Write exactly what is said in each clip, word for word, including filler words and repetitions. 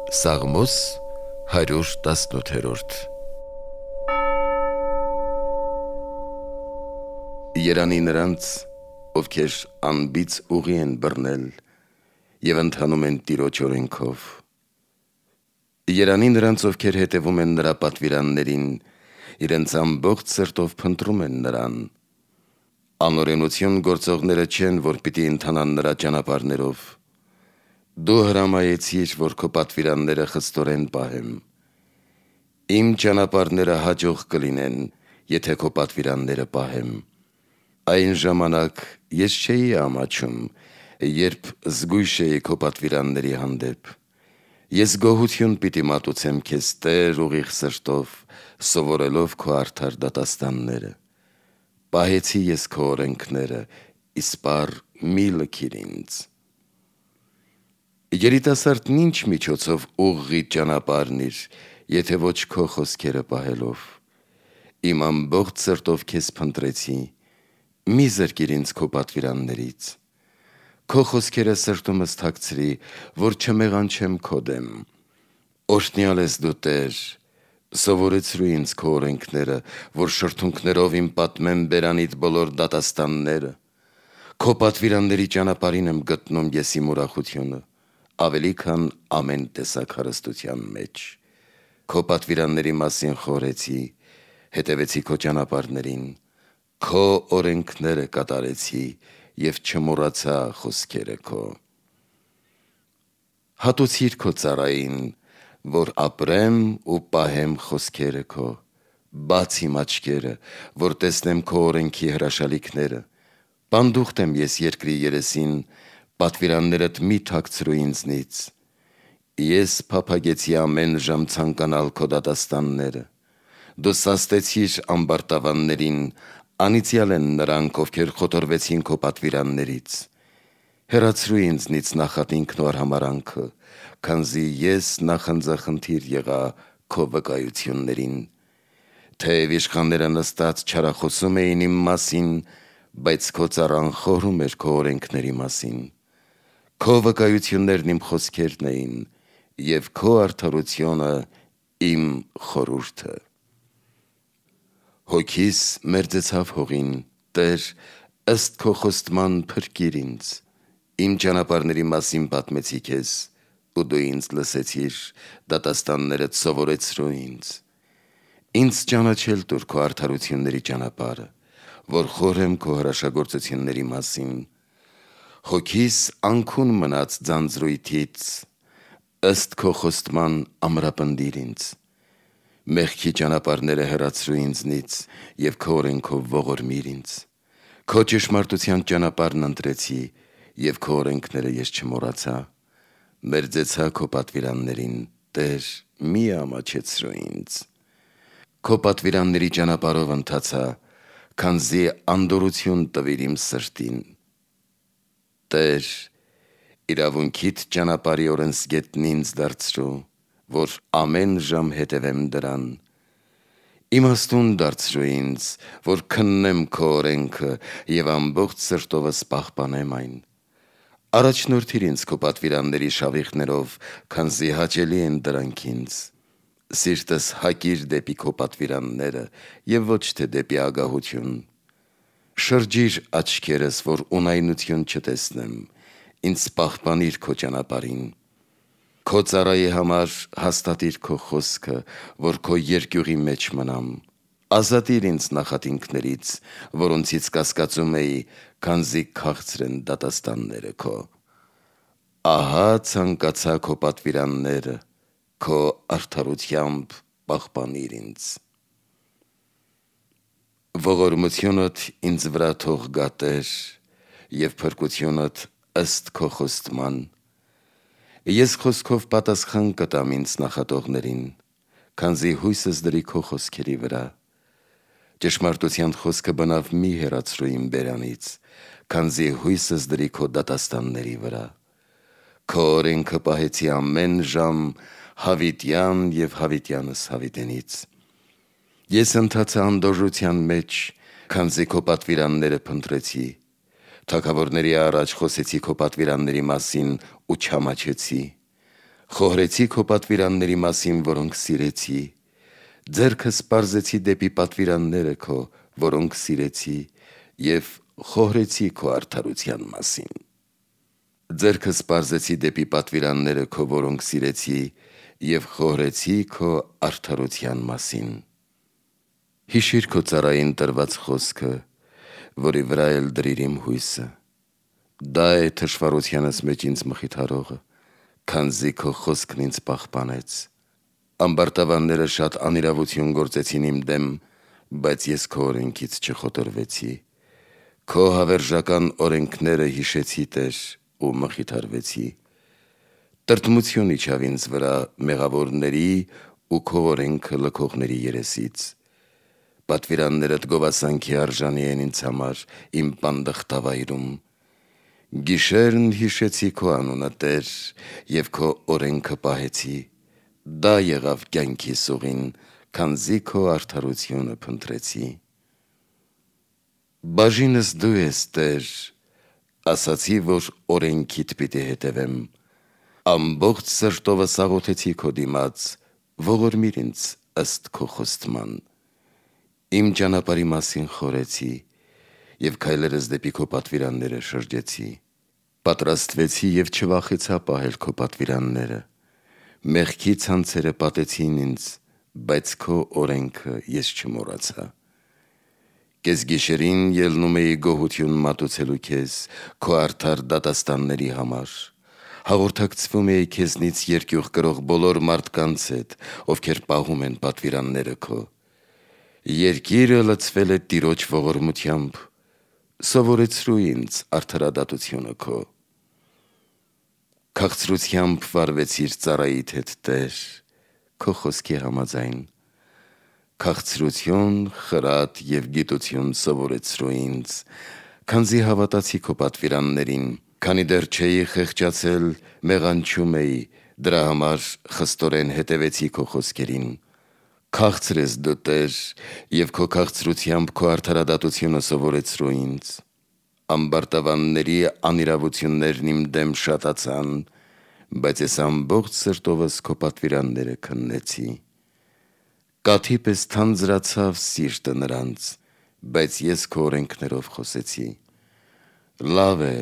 Սաղմոս հարյուր տասնութերորդ Երանի նրանց, ովքեր անբիծ ուղի են բռնել և ընթանում են Տիրոջ օրենքով։ Երանի նրանց, ովքեր հետևում են նրա պատվիրաններին, իրենց ամբողջ սրտով փնտրում են նրան։ Անօրենություն գործողները չեն, որ պիտի ընթանան նրա ճանապարհներով։ Դու հրամայեցիր, որ քո պատվիրանները խստորեն պահեմ։ Իմ ճանապարհները հաջող կլինեն, եթե քո պատվիրանները պահեմ։ Այն ժամանակ ես չէի ամաչում, երբ զգույշ էի քո պատվիրանների հանդեպ։ Ես գոհություն պիտի մատուցեմ քեզ, Տեր, ուղիղ սրտով, սովորելով քո արդար դատաստանները։ Պահեցի ես քո օրենքները, իսպառ մի լքիր ինձ։ Երիտասարդն ինչ միջոցով ուղղի ճանապարհն իր, եթե ոչ քո խոսքերը պահելով։ Իմ ամբողջ սրտով քեզ փնտրեցի, մի զրկիր ինձ քո պատվիրաններից։ Քո խոսքերը սրտումս թաքցրի, որ չմեղանչեմ քո դեմ։ Օրհնյալ ես դու, Տեր, սովորեցրու ինձ քո օրենքները, որ շրթունքներով իմ պատմեմ բերանիդ բոլոր դատաստանները։ Քո պատվիրանների ճանապարհին եմ գտնում ես իմ ուրախությունը, ավելի քան ամեն տեսակ հարստության մեջ։ Քո պատվիրանների մասին խորհեցի, հետևեցի քո ճանապարհներին, քո օրենքները կատարեցի և չմոռացա խոսքերը քո։ Հատուցիր քո ծառային, որ ապրեմ ու պահեմ խոսքերը քո։ Բաց իմ աչքերը, որ տեսնեմ քո օրենքի հրաշալիքները։ Պանդուխտ եմ ես երկրի երեսին, պատվիրաններդ մի թաքցրու ինձնից։ Ես փափագեցի ամեն ժամ ցանկանալ քո դատաստանները։ Դու սաստեցիր ամբարտավաններին, անիծյալ են նրանք, ովքեր խոտորվեցին քո պատվիրաններից։ Հեռացրու ինձնից նախատինքն ու արհամարհանքը, քանզի ես նախանձախնդիր եղա քո վկայություններին։ Թեև իշխանները նստած չարախոսում էին իմ մասին, բայց քո ծառան խորհում էր քո օրենքների մասին։ Քո վկայություններն իմ խոսքերն էին, և քո արդարությունը իմ խորհուրդը։ Հոգիս մերձեցավ հողին, Տեր, ըստ քո խոստման փրկիր ինձ։ Իմ ճանապարհների մասին պատմեցի քեզ, ու դու ինձ լսեցիր, դատաստաններդ սովորեցրու ինձ։ Ինձ ճանաչել տուր քո արդարությունների ճանապարհը, որ խորհեմ քո հրաշագործությունների մասին։ Հոգիս անքուն մնաց ձանձրույթից, ըստ քո խոստման ամրապնդիր ինձ։ Մեղքի ճանապարհները հեռացրու ինձնից և քո օրենքով ողորմիր ինձ։ Քո ճշմարտության ճանապարհն ընտրեցի, և քո օրենքները ես չմոռացա։ Մերձեցա քո պատվիրաններին, Տեր, մի ամաչեցրու ինձ։ Քո պատվիրանների ճանապարհով ընթացա, քանզի անդորրություն տվիր իմ սրտին։ Տեր, իրավունքիդ ճանապարհի օրենսգետն ինձ դարձրու, որ ամեն ժամ հետևեմ դրան։ Իմաստուն դարձրու ինձ, որ քննեմ քո օրենքը և ամբողջ սրտովս պահպանեմ այն։ Առաջնորդիր ինձ քո պատվիրանների շավիղներով, քանզի հաճելի են դրանք ինձ։ Սիրտս հակիր դեպի քո պատվիրանները և ոչ թե դեպի ագահություն։ Շրջիր աչքերս, որ ունայնություն չտեսնեմ, ինձ պահպանիր քո ճանապարհին։ Քո ծառայի համար հաստատիր քո խոսքը, որ քո երկյուղի մեջ մնամ։ Ազատիր ինձ նախատինքներից, որոնցից կասկածում էի, քանզի քաղցր են դատաստանները քո։ Ահա ցանկացա քո պատվիրանները, քո արդարությամբ պահպանիր ինձ։ Ողորմությունդ ինձ վրա թող գա, Տեր, և փրկությունդ ըստ քո խոստման։ Ես խոսքով պատասխան կտամ ինձ նախատողներին, քանզի հույսս դրի քո խոսքերի վրա։ Ճշմարտության խոսքը բնավ մի հեռացրու իմ բերանից, քանզի հույսս դրի քո դատաստանների վրա։ Քո օրենքը պահեցի ամեն ժամ հավիտյան և հավիտյանս հավիտենից։ Ես ընթացա անդորրության մեջ, քանզի քո պատվիրանները փնտրեցի։ Թագավորների առաջ խոսեցի քո պատվիրանների մասին ու չամաչեցի։ Խոհրեցի քո պատվիրանների մասին, որոնք սիրեցի, ձեռքս պարզեցի դեպի պատվիրանները քո, որոնք սիրեցի, և խոհրեցի քո արդարության մասին։ Ձեռքս պարզեցի դեպի պատվիրանները քո, որոնք սիրեցի, և խոհրեցի քո արդարության մասին։ Հիշիր քո ծառային տրված խոսքը, որի վրա էլ դրիր իմ հույսը։ Դա է թշվառությանս մեջ ինձ մխիթարողը, քանզի քո խոսքն ինձ պահպանեց։ Ամբարտավանները շատ անիրավություն գործեցին իմ դեմ, բայց ես քո օրենքից չխոտորվեցի։ Քո հավերժական օրենքները հիշեցի, Տեր, ու մխիթարվեցի։ Տրտմություն իջավ ինձ վրա մեղավորների ու քո օրենքը լքողների երեսից։ Պատվիրաններդ գովասանքի արժանի են ինձ համար իմ պանդխտավայրում։ Գիշերն հիշեցի քո անունը, Տեր, և քո օրենքը պահեցի։ Դա եղավ կյանքիս ուղին, քանզի քո արդարությունը փնտրեցի։ Բաժինս դու ես, Տեր, ասացի, որ օրենքիդ պիտի հետևեմ։ Ամբողջ սրտովս աղոթեցի քո դիմաց, ողորմիր ինձ ըստ քո խոստման։ Իմ ճանապարհի մասին խորեցի, և քայլերս դեպի քո պատվիրանները շրջեցի։ Պատրաստվեցի և չվախեցա պահել քո պատվիրանները։ Մեղքի ցանցերը պատեցին ինձ, բայց քո օրենքը ես չմոռացա։ Կեսգիշերին ելնում էի գոհություն մատուցելու քեզ, քո արդար դատաստանների համար։ Հաղորդակցվում էի քեզնից երկյուղ կրող բոլոր մարդկանց հետ, ովքեր պահում են պատվիրանները քո։ Երկիրը լցվել է Տիրոջ ողորմությամբ, սովորեցրու ինձ արդարադատությունը քո։ Քաղցրությամբ վարվեցիր ծառայիդ հետ, Տեր, քո խոսքի համաձայն։ Քաղցրություն, խրատ և գիտություն սովորեցրու ինձ, քանզի հավատացի քո պատվիրաններին, քանի դեռ չէի խեղճացել, մեղանչում էի, դրա համար խստորեն հետևեցի քո խոսքերին։ Քաղցր ես դու, Տեր, և քո քաղցրությամբ քո արդարադատությունը սովորեցրու ինձ։ Ամբարտավանների անիրավություններն իմ դեմ շատացան, բայց ես ամբողջ սրտովս քո պատվիրանները քննեցի։ Կաթի պես թանձրացավ սիրտը նրանց, բայց ես քո օրենքներով խոսեցի։ Լավ է,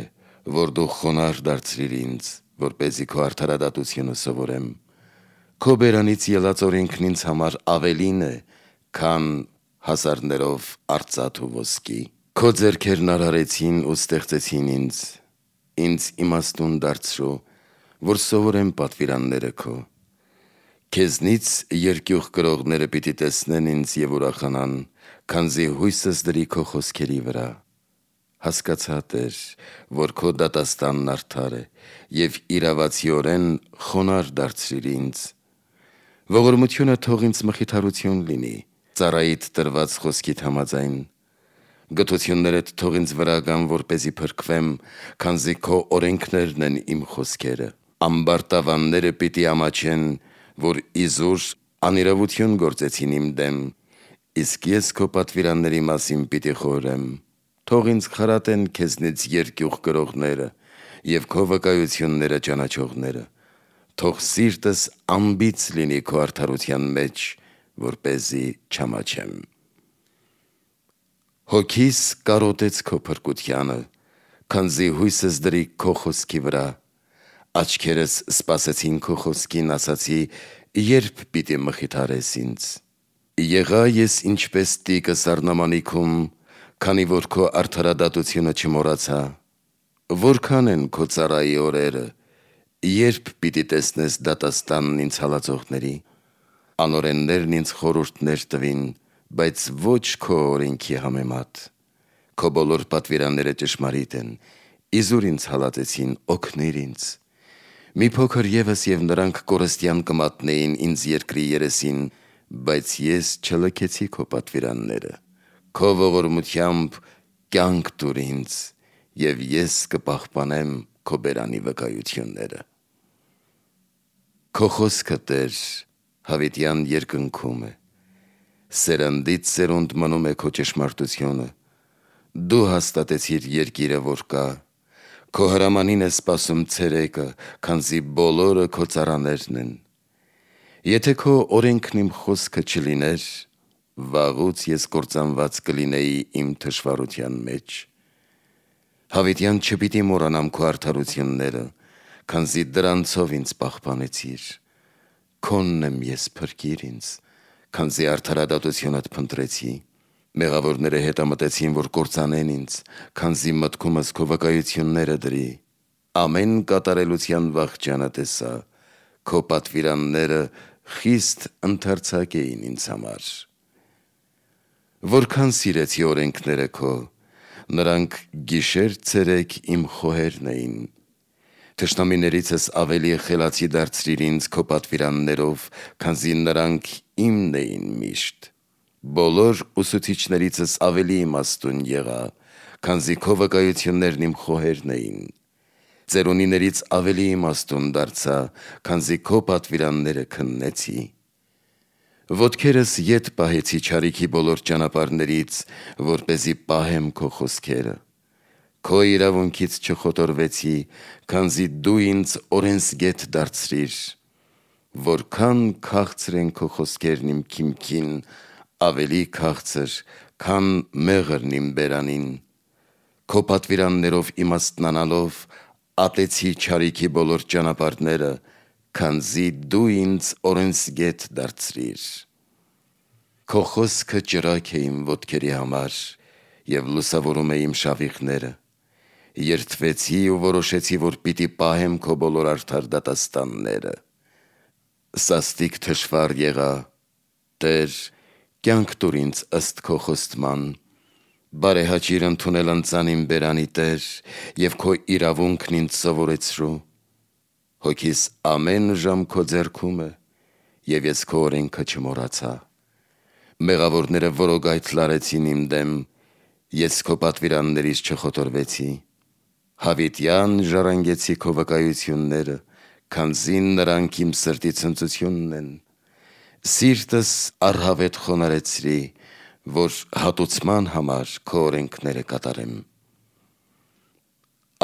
որ դու խոնարհ դարձրիր ինձ, որպեսզի քո արդարադատությունը սովորեմ։ Քո բերանից ելած օրենքն ինձ համար ավելին է, քան հասարներով արծաթ ու ոսկի։ Քո ձեռքերն արարեցին ու ստեղծեցին ինձ, ինձ իմաստուն դարձրու, որ սովորեմ պատվիրանները քո։ Քեզնից երկյուղ կրողները պիտի տեսնեն ինձ և ուրախանան, քանզի հույսս դրի քո խոսքերի վրա։ Հասկացա, Տեր, որ քո դատաստանն արդար է, և իրավացիորեն խոնարհ դարձրիր ինձ։ Ողորմությունը թող ինձ մխիթարություն լինի, ծառայիդ տրված խոսքիդ համաձայն։ Գթություններդ թող ինձ վրա գան, որպեսզի փրկվեմ, քանզի քո օրենքներն են իմ խոսքերը։ Ամբարտավանները պիտի ամաչեն, որ իզուր անիրավություն գործեցին իմ դեմ, իսկ ես քո պատվիրանների մասին պիտի խորհեմ։ Թող ինձ խրատեն քեզնից երկյուղ կրողները և քո վկայությունները ճանաչողները։ Թող սիրտս անբիծ լինի քո արդարության մեջ, որպեսզի չամաչեմ։ Հոգիս կարոտեց քո փրկությանը, քանզի հույսս դրի քո խոսքի վրա։ Աչքերս սպասեցին քո խոսքին, ասացի, երբ պիտի մխիթարես ինձ։ Եղա ես ինչպես տիկը սառնամանիքում, քանի որ քո արդարադատությունը չմոռացա։ Որքան են քո ծառայի օրերը, երբ պիտի տեսնես դատաստանն ինձ հալածողների։ Անօրեններն ինձ խորհուրդներ տվին, բայց ոչ քո օրենքի համեմատ։ Քո բոլոր պատվիրանները ճշմարիտ են, իզուր ինձ հալածեցին, օգնիր ինձ։ Մի փոքր ևս և նրանք կորստյան կմատնեին ինձ երկրի երեսին, բայց ես չլքեցի քո պատվիրանները։ Քո ողորմությամբ կյանք տուր ինձ, և ես կպահպանեմ քո բերանի վկայությունները։ Քո խոսքը, Տեր, հավիտյան երկնքում է, սերնդից սերունդ մնում է քո ճշմարտությունը։ Դու հաստատեցիր երկիրը, որ կա, Քո հրամանին է սպասում ցերեկը, քանզի բոլորը քո ծառաներն են։ Եթե քո օրենքն իմ խոսքը չլիներ, վաղուց ես կործանված կլինեի իմ թշվառության մեջ։ Հավիտյան չպիտի մոռանամ քո արդարությունները, քանզի դրանցով ինձ պահպանեցիր։ Քոնն եմ ես, փրկիր ինձ, քանզի արդարադատությունդ փնտրեցի։ Մեղավորները հետամտեցին, որ կործանեն ինձ, քանզի մտքումս քո վկայությունները դրի։ Ամեն կատարելության վախճանը տեսա, քո պատվիրանները խիստ ընդարձակ էին ինձ համար։ Որքան սիրեցի օրենքները քո, նրանք գիշեր ցերեկ իմ խոհերն էին։ Թշնամիներիցս ավելի խելացի դարձրիր ինձ քո պատվիրաններով, քանզի նրանք իմն էին միշտ։ Բոլոր ուսուցիչներիցս ավելի իմաստուն եղա, քանզի քո վկայություններն իմ խոհերն էին։ Ծերունիներից ավելի իմաստուն դարձա, քանզի քո պատվիրանները քննեցի։ Ոտքերս ետ պահեցի չարիքի բոլոր ճանապարհներից, որպեսզի պահեմ քո խոսքերը։ Քո իրավունքից չխոտորվեցի, քանզի դու ինձ օրենսգետ դարձրիր։ Որքան քաղցր են քո խոսքերն իմ քիմքին, ավելի քաղցր, քան մեղրն իմ բերանին։ Քո պատվիրաններով իմաստնանալով ատեցի չարիքի բոլոր ճանապարհները, քանզի դու ինձ օրենսգետ դարձրիր։ Քո խոսքը ճրագ է իմ ոտքերի համար և լուսավորում է իմ շավիղները։ Երդվեցի ու որոշեցի, որ պիտի պահեմ քո բոլոր արդար դատաստանները։ Սաստիկ թշվառ եղա, Տեր, կյանք տուր ինձ ըստ քո խոստման։ Բարեհաճիր ընդունել ընծան իմ բերանի, Տեր, և քո իրավունքն ինձ սովորեցրու։ Հոգիս ամեն ժամ քո ձեռքում է, և ես քո օրենքը չմոռացա։ Մեղավորները որոգայթ լարեցին իմ դեմ, ես քո պատվիրաններից չխոտորվեցի։ Հավիտյան ժառանգեցի քո վկայությունները, քանզի նրանք իմ սրտի ցնծությունն են։ Սիրտս առհավետ խոնարհեցրի, որ հատուցման համար քո օրենքները կատարեմ։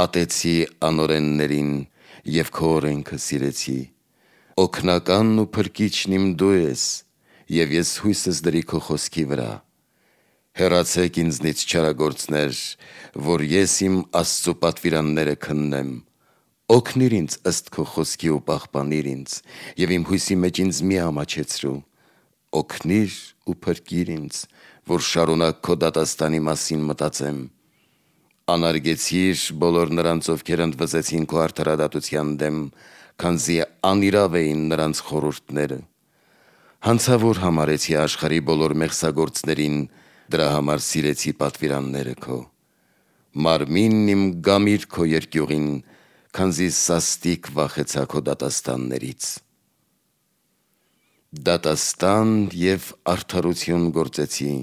Ատեցի անօրեններին և քո օրենքը սիրեցի։ Օգնականն ու փրկիչն իմ դու ես, և ես հույսս դրի քո խոսքի վրա։ Հեռացեք ինձնից չարագործներ, որ ես իմ Աստծու պատվիրանները քննեմ։ Օգնիր ինձ ըստ քո խոսքի ու պահպանիր ինձ, և իմ հույսի մեջ ինձ մի ամաչեցրու։ Օգնիր ու փրկիր ինձ, որ շարունակ քո դատաստանի մասին մտածեմ։ Անարգեցիր բոլոր նրանց, ովքեր ընդվզեցին քո արդարադատության դեմ, քանզի անիրավ էին նրանց խորհուրդները։ Հանցավոր համարեցի աշխարհի բոլոր մեղսագործներին, դրա համար սիրեցի պատվիրանները քո։ Մարմինն իմ գամիր քո երկյուղին, քանզի սաստիկ վախեցա քո դատաստաններից։ Դատաստան և արդարություն գործեցի,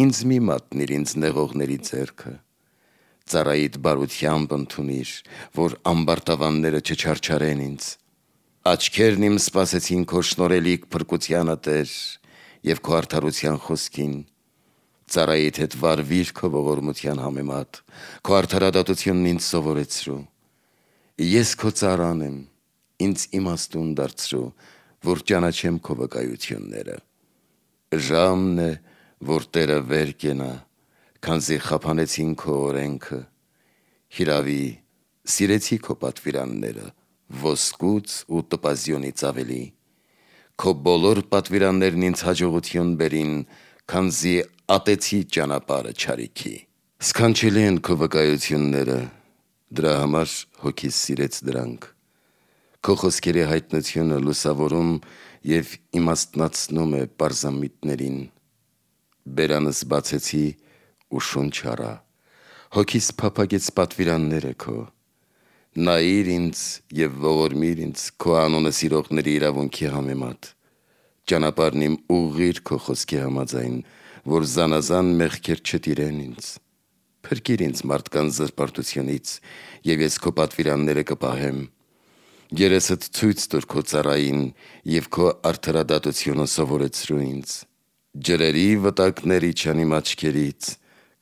ինձ մի մատնիր ինձ նեղողների ձեռքը։ Ծառայիդ բարությամբ ընդունիր, որ ամբարտավանները չչարչարեն ինձ։ Աչքերն իմ սպասեցին քո շնորհելիք փրկությանը, Տեր, և քո արդարության խոսքին։ Ծառայիդ հետ վարվիր քո ողորմության համեմատ, քո արդարադատությունն ինձ սովորեցրու։ Ես քո ծառան եմ, ինձ իմաստուն դարձրու, որ ճանաչեմ քո վկայությունները։ Ժամն է, որ Տերը վեր կենա, քանզի խափանեցին քո օրենքը։ Հիրավի, սիրեցի քո պատվիրանները, ոսկուց ու տպազյոնից ավելի։ Քո բոլոր պատվիրաններն ինձ հաջողություն բերին, քանզի ատեցի ճանապարհը չարիքի։ Սքանչելի են քո վկայությունները, դրա համար հոգիս սիրեց դրանք։ Քո խոսքերի հայտնությունը լուսավորում և իմաստնացնում է պարզամիտներին։ Բերանս բացեցի ու շունչ առա, հոգիս փափագեց պատվիրանները քո։ Նայիր ինձ և ողորմիր ինձ քո անունը սիրողների իրավունքի համեմատ։ Ճանապարհն իմ ուղղիր քո խոսքի համաձայն, որ զանազան մեղքեր չտիրեն ինձ։ Փրկիր ինձ մարդկանց զրպարտությունից, և ես քո պատվիրանները կպահեմ։ Երեսդ ցույց տուր քո ծառային և քո արդարադատությունը սովորեցրու ինձ։ Ջրերի վտակներ իջան իմ աչքերից,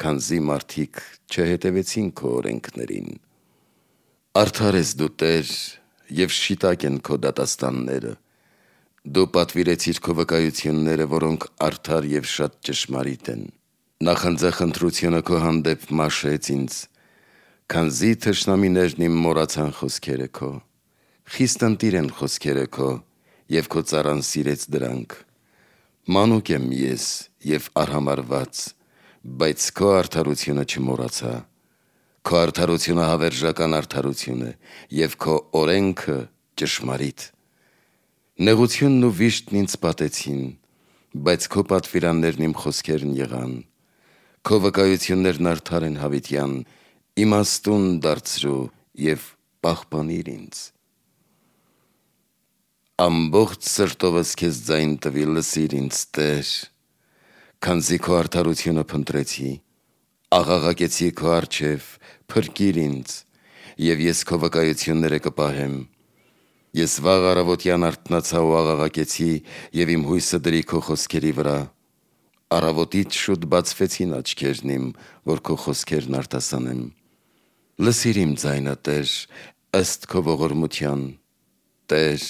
քանզի մարդիկ չհետևեցին քո օրենքներին։ Արդար ես դու Տեր, և շիտակ են քո դատաստանները, դու պատվիրեցիր քո վկայությունները, որոնք արդար և շատ ճշմարիտ են, նախանձախնդրությունը քո հանդեպ մաշեց ինձ, քանզի թշնամիներն իմ մոռացան խոսքերը քո, խիստ ընտիր են խոսքերը քո, և քո ծառան սիրեց դրանք, մանուկ եմ ես և արհամարհված, բայց քո արդարությունը չմոռացա, քո արդարությունը հավերժական արդարություն է, և քո օրենքը ճշմարիտ, նեղությունն ու վիշտն ինձ պատեցին, բայց քո պատվիրաններն իմ խոսքերն եղան, քո վկայություններն արդար են հավիտյան, իմաստուն դարձրու և պահպանիր ինձ։ Ամբողջ սրտովս քեզ ձայն տվի, լսիր ինձ Տեր, քանզի քո արդարությունը փնտրեցի, աղաղակեցի քո առջև, փրկիր ինձ, և ես քո վկայությունները կպահեմ, ես վաղ առավոտյան արթնացա ու աղաղակեցի և իմ հույսը դրի քո խոսքերի վրա, առավոտից շուտ բացվեցին աչքերն իմ, որ քո խոսքերն արտասանեմ, լսիր իմ ձայնը Տեր, ըստ քո ողորմության, Տեր,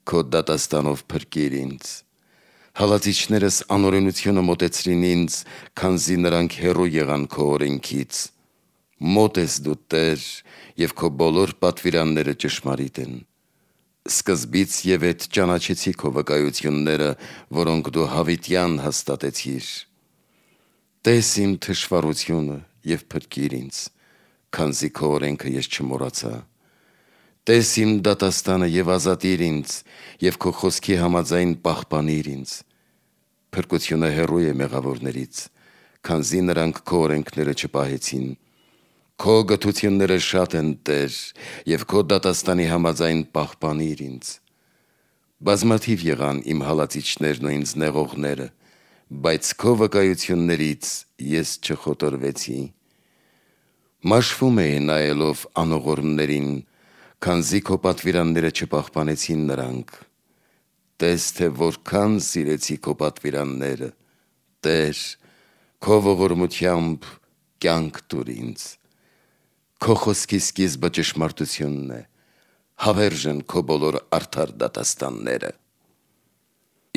քո դատաստանով փրկիր ինձ, հալածիչներս անօրենությունը մոտեցրին ինձ, քանզի նրանք հեռու եղան քո օրենքից, մոտ ես դու Տեր, և քո բոլոր պատվիրանները ճշմարիտ են, սկզբից և ետ ճանաչեցի քո վկայությունները, որոնք դու հավիտյան հաստատեցիր, տես իմ թշվառությունը և փրկիր ինձ, քանզի քո օրենքը ես չմոռացա, տես իմ դատաստանը և ազատիր ինձ, և քո խոսքի համաձայն պահպանիր ինձ, փրկությունը հեռու է մեղավորներից, քանզի նրանք քո օրենքները չպահեցին, քո գթությունները շատ են Տեր, և քո դատաստանի համաձայն պահպանիր ինձ, բազմաթիվ եղան իմ հալածիչներն ու ինձ նեղողները, բայց քո վկայություններից ես չխոտորվեցի, մաշվում էի նայելով անողորմներին, քանզի քո պատվիրանները չպահպանեցին նրանք, տես թե որքան սիրեցի քո պատվիրանները, Տեր, քո ողորմությամբ կյանք տուր ինձ, քո խոսքի սկիզբը ճշմարտությունն է, հավերժ են քո բոլոր արդար դատաստանները,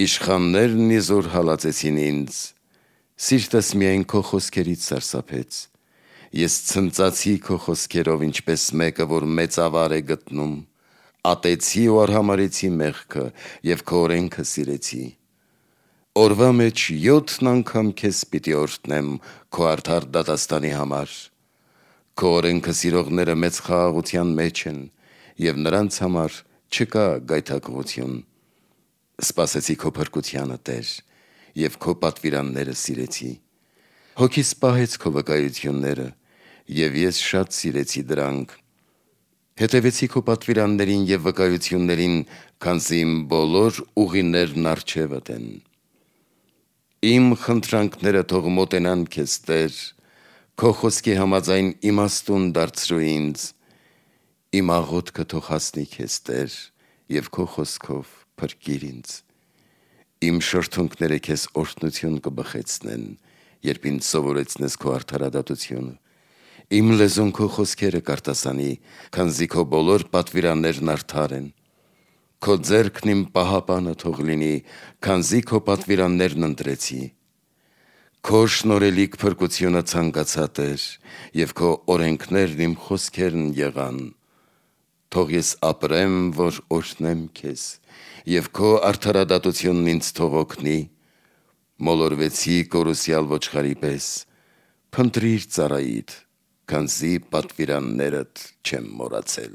իշխաններն իզուր հալածեցին ինձ, սիրտս միայն քո խոսքերից սարսափեց, ես ցնծացի քո խոսքերով, ինչպես մեկը, որ մեծ ավար է գտնում, ատեցի ու արհամարհեցի մեղքը և քո օրենքը սիրեցի, օրվա մեջ յոթ անգամ քեզ պիտի օրհնեմ քո արդար դատաստանի համար, քո օրենքը սիրողները մեծ խաղաղության մեջ են, և նրանց համար չկա գայթակղություն, սպասեցի քո փրկությանը Տեր, և քո պատվիրանները սիրեցի, հոգիս պահեց քո վկայությունները, և ես շատ սիրեցի դրանք, հետևեցի քո պատվիրաններին և վկայություններին, քանզի իմ բոլոր ուղիներն առջևդ են, իմ խնդրանքները թող մոտենան քեզ Տեր, քո խոսքի համաձայն իմաստուն դարձրու ինձ, իմ աղոթքը թող հասնի քեզ Տեր, և քո խոսքով փրկիր ինձ, իմ շրթունքները քեզ օրհնություն կբխեցնեն, երբ ինձ սովորեցնես քո արդարադատությունը, իմ լեզուն քո խոսքերը կարտասանի, քանզի քո բոլոր պատվիրաններն արդար են, քո ձեռքն իմ պահապանը թող լինի, քանզի քո պատվիրաններն ընտրեցի, քո շնորհելիք փրկությունը ցանկացա Տեր, և քո օրենքներն իմ խոսքերն եղան, թող ես ապրեմ, որ օրհնեմ քեզ, և քո արդարադատությունն ինձ թող օգնի, մոլորվեցի կորուսյալ ոչխարի պես, փնտրիր ծառայիդ, քանզի պատվիրաններդ չեմ մոռացել։